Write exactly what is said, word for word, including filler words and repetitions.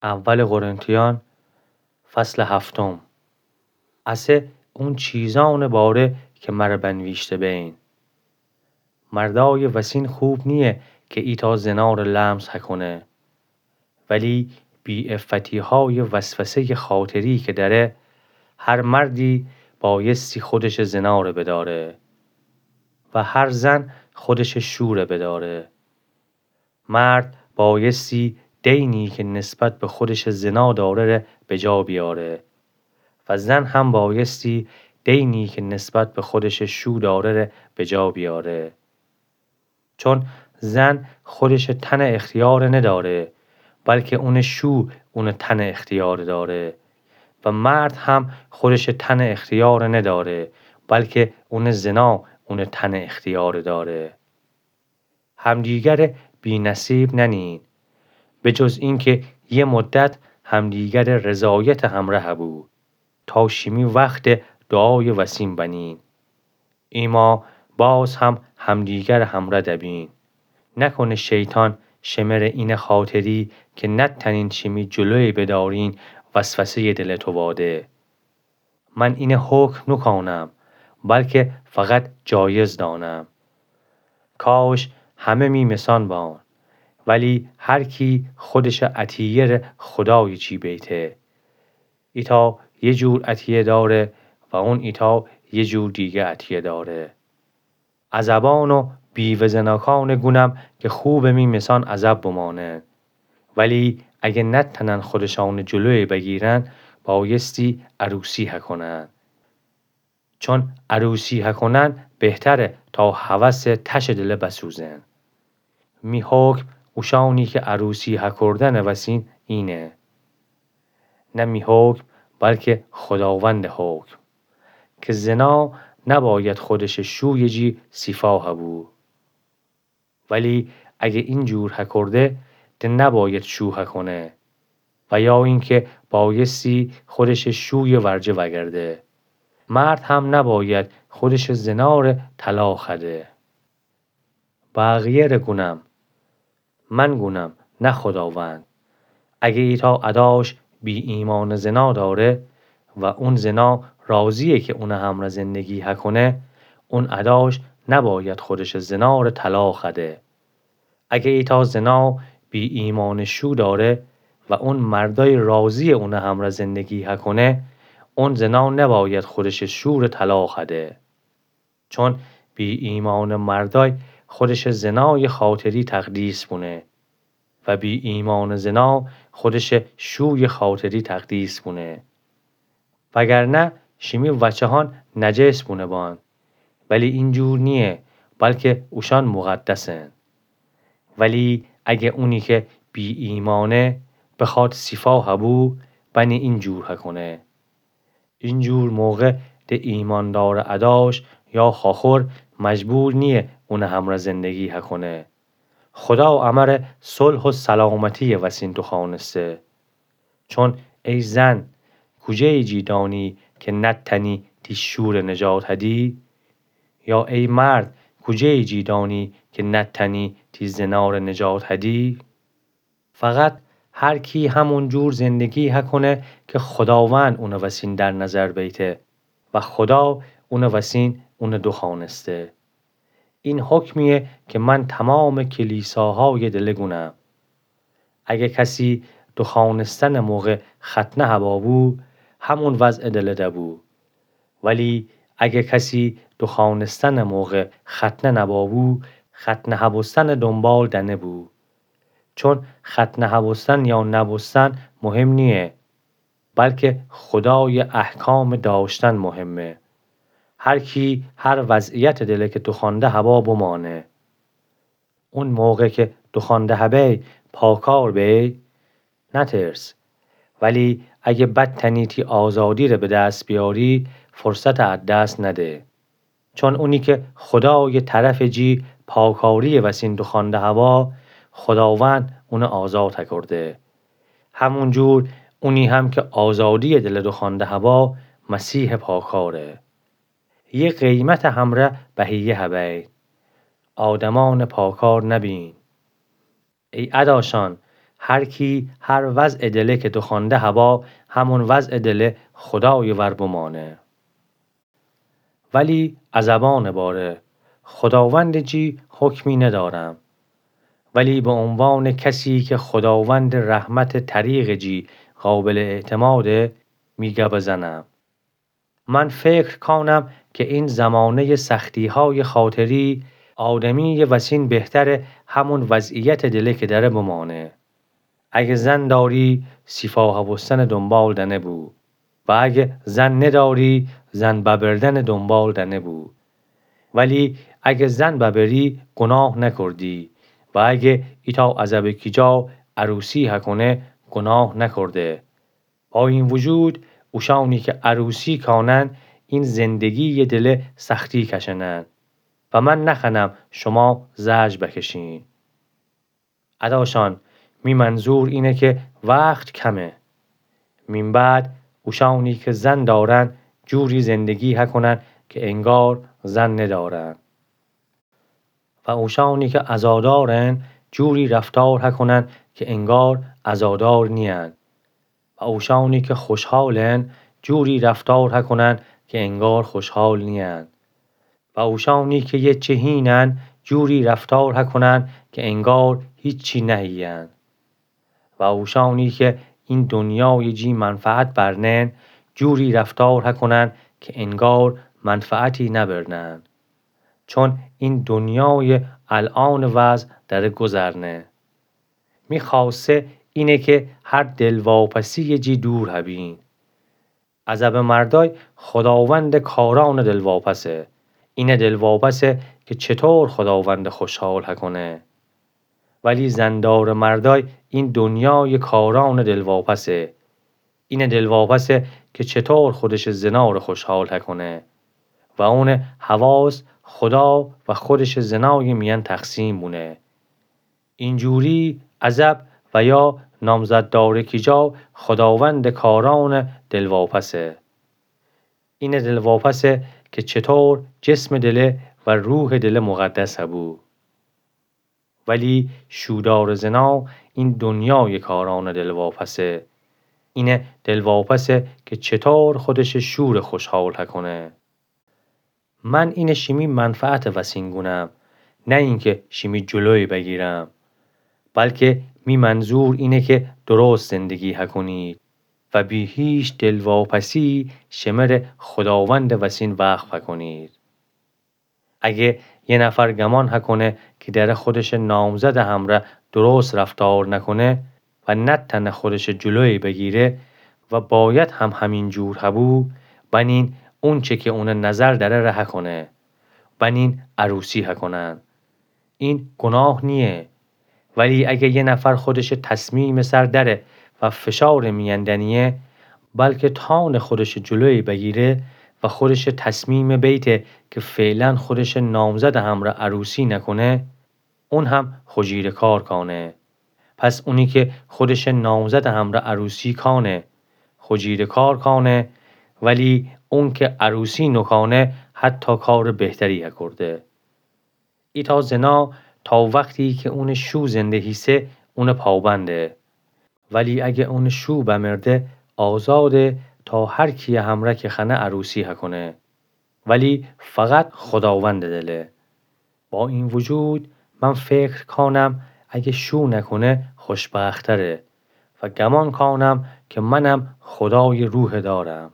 اول قرنتیان، فصل هفتم. اسه اون چیزأنٚ باره که مره بنویشته بین. مردأیٚ وسین خوب نییه که ایتأ زناره لمس هکونه. ولی بی‌عفتی‌هایٚ وسوسه‌یٚ خاطری که دأره، هر مردی بأیستی خودشٚ زناره بداره و هر زن خودشٚ شوره بداره. مرد بأیستی دینی که نسبت به خودشٚ زنا داره ره به جا بیاره و زن هم بأیستی دینی که نسبت به خودشٚ شو داره ره به جا بیاره. چون زن خودشٚ تنه اختیاره نداره، بلکه اونٚ شو اونٚ تنه اختیاره داره و مرد هم خودشٚ تنه اختیاره نداره، بلکه اونٚ زنا اونٚ تنه اختیاره داره. همدیگره بی‌نصیب ننین، به جز اینکه یه مدت همدیگره رضایتٚ همره هبو، تا شیمی وختٚ دعایٚ وسین بنین. ایما باز هم همدیگره همره دبین. نکنه شیطان شمره اینه خاطری که نتنین شیمی جلوی بدارین وسوسه‌یٚ دلٚ تو واده. من اینه حکم نوکانم، بلکه فقط جایز دانم. کاش همه می مثان بان، ولی هر کی خودشٚ عطیه ره خدایٚ چی بیته. ایتأ یه جور عطیه داره و اون ایتأ یه جور دیگه عطیه داره. عزبان و بیوه زناکانٚ گونم که خوبه می مثان عزب بمانن. ولی اگه نتنن خودشانٚ جلوی بگیرن، بایستی عروسی هکنن. چون عروسی هکنن بهتره تا هوسٚ تشٚ دله بسوزن. می حکم اوشانی که عروسی هکردنٚ وسین اینه. نه می حکم، بلکه خداوندٚ حکم. که زنا نباید خودشٚ شویٚ جی سیفا هبو. ولی اگه این جور هکرده، ده نباید شو هکنه. و یا اینکه بایستی خودشٚ شویٚ ورجه وگرده. مرد هم نباید خودشٚ زناره طلاق هده. بقیه ره گونم، من گونم، نه خداوند. اگه ایتأ اداش بی‌ایمأنٚ زنا داره و اون زنا راضیه که اونٚ همره زندگی هکنه، اون اداش نباید خودشٚ زناره طلاق هده. اگه ایتأ زنا بی‌ایمأنٚ شو داره و اون مردای راضیه اونٚ همره زندگی هکنه، اون زنا نباید خودشٚ شوره طلاق هده. چون بی‌ایمأنٚ مردای خودشٚ زنایٚ خاطری تقدیس بونه و بی‌ایمأنٚ زنا خودشٚ شویٚ خاطری تقدیس بونه. وگرنه شیمی وچه‌هان نجس بونه بان، ولی این جور نییه، بلکه اوشان مقدسن. ولی اگه اونی که بی‌ایمأنه بخواد سیفا هبو، بنی این جور هکنه. این جور موقع ده ایمأندارٚ اداش یا خواخور مجبور نییه اونٚ همره زندگی هکنه. خدا امره صلح و سلامتی‌یٚ وسین دوخوأنسته. چون ای زن، کوجه‌یٚ جی دانی که نتأنی تی شوره نجات هدی؟ یا ای مرد، کوجه‌یٚ جی دانی که نتأنی تی زناره نجات هدی؟ فقط هر کی همون جور زندگی هکنه که خداوند اونٚ وسین در نظر بیته و خدا اونٚ وسین اونه دوخوأنسته. این حکمیه که من تمامٚ کلیساهایٚ دله گونم. اگه کسی دوخوأنستنٚ موقع ختنه هبا بو، همون وضعٚ دله دبو. ولی اگه کسی دوخوأنستنٚ موقع ختنه نبا بو، ختنه هبوستنٚ دونبال دنه بو. چون ختنه هبوستن یا نبوستن مهم نییه، بلکه خدایٚ احکامٚ داشتن مهمه. هر کی هر وضعیتٚ دله که دوخوأنده هبا بمانه. اون موقع که دوخوأنده هبی پاکار بی، نترس. ولی اگه بتأنی تی آزادیره به دست بیاری، فرصته از دست نده. چون اونی که خدایٚ طرفٚ جی پاکاری‌یٚ وسین دوخوأنده هبا، خداوند اونه آزاد هکرده. همون جور اونی هم که آزادی‌یٚ دله دوخوأنده هبا، مسیحٚ پاکاره. یه قیمتٚ همره بهیه هبی. آدمأنٚ پاکار نبین. ای اداشان، هر کی هر وضع دله که دخوأنده هبا، همون وضع دله خودای ور بمانه. ولی ا زبانٚ باره، خوداوندٚ جی حکمی ندارم، ولی به عنوانٚ کسی که خوداوندٚ رحمتٚ طریقٚ جی قابلٚ اعتماده، می گبٚ زنم. من فکر کانم که این زمانهٔ سختی‌های خاطری، آدمیٚ وسین بهتره همون وضعیتٚ دله که دأره بمانه. اگه زن داری، سیفا هبوستنٚ دنبال دنه بو. و اگه زن نداری، زن ببردنٚ دنبال دنه بو. ولی اگه زن ببری، گناه نکردی. و اگه ایتأ عزبٚ کیجا عروسی هکونه، گناه نکرده. با این وجود، اوشأنی که عروسی کانن، این زندگییٚ دله سختی کشنن. و من نخوأنم شما زجر بکشین. اداشان، می منظور اینه که وخت کمه. مین بعد، اوشأنی که زن دارن، جوری زندگی هکونن که انگار زن ندارن. و اوشأنی که عزادارن، جوری رفتار هکونن که انگار عزادار نیین. و اوشأنی که خوشحالن، جوری رفتار هکونن که انگار خوشحال نیین. و اوشأنی که یه چه هینن، جوری رفتار هکونن که انگار هیچی نهیین. و اوشأنی که این دنیایٚ جی منفعت برنن، جوری رفتار هکونن که انگار منفعتی نبرنن. چون این دنیایٚ الأنٚ وضع دأره گذرنه. می خوأسته اینه که هر دلواپسییٚ جی دور هبین. عزبٚ مردای خوداوندٚ کارأنٚ دلواپسه. اینه دلواپسه که چطور خوداوندٚ خوشحال هکونه. ولی زندارٚ مردای این دنیایٚ کارأنٚ دلواپسه. اینه دلواپسه که چطور خودشٚ زنارٚ خوشحال هکونه و اونٚ حواس خودا و خودشٚ زنایٚ میأن تقسیم بونه. اینجوری عزب و یا نامزددارٚ کیجا خوداوندٚ کارأنٚ دلواپسه. اینه دلواپسه که چطور جسمٚ دله و روحٚ دله مقدس هبو. ولی شودارٚ زنا این دنیایٚ کارأنٚ دلواپسه. اینه دلواپسه که چطور خودشٚ شورٚ خوشحال هکونه. من اینه شیمی منفعتٚ وسین گونم، نه اینکه شیمی جلوی بگیرم، بلکه می منظور اینه که درست زندگی هکونید و بی هیچ دلواپسی شمره خوداوندٚ وسین وقف هکونید. اگه یه نفر گمان هکونه که دأره خودشٚ نامزدٚ همرأ درست رفتار نکونه و نتأنه خودشٚ جلوی بگیره و باید هم همین جور هبو، بنین اونچه که اونٚ نظر دأره ره هکونه، بنین عروسی هکونن. این گناه نییه. ولی اگه یه نفر خودشٚ تصمیمٚ سر دأره و فشارٚ میأن دنیه، بلکه تأنه خودشٚ جلوی بگیره و خودشٚ تصمیم بیته که فعلا خودشٚ نامزدٚ همرأ عروسی نکونه، اون هم خوجیرٚ کار کأنه. پس اونی که خودشٚ نامزدٚ همرأ عروسی کأنه، خوجیرٚ کار کأنه، ولی اون که عروسی نوکأنه، حتی کارٚ بهتری هکورده. ایتأ زنا تا وختی که اونٚ شو زنده هیسه، اونٚ پابنده. ولی اگه اونٚ شو بمرده، آزاده تا هر کییٚ همرأ که خوأنه عروسی هکونه. ولی فقط خوداوندٚ دله. با این وجود، من فکر کأنم اگه شو نکونه، خوشبخت‌تره و گمان کأنم که منم خودایٚ روحٚ دارم.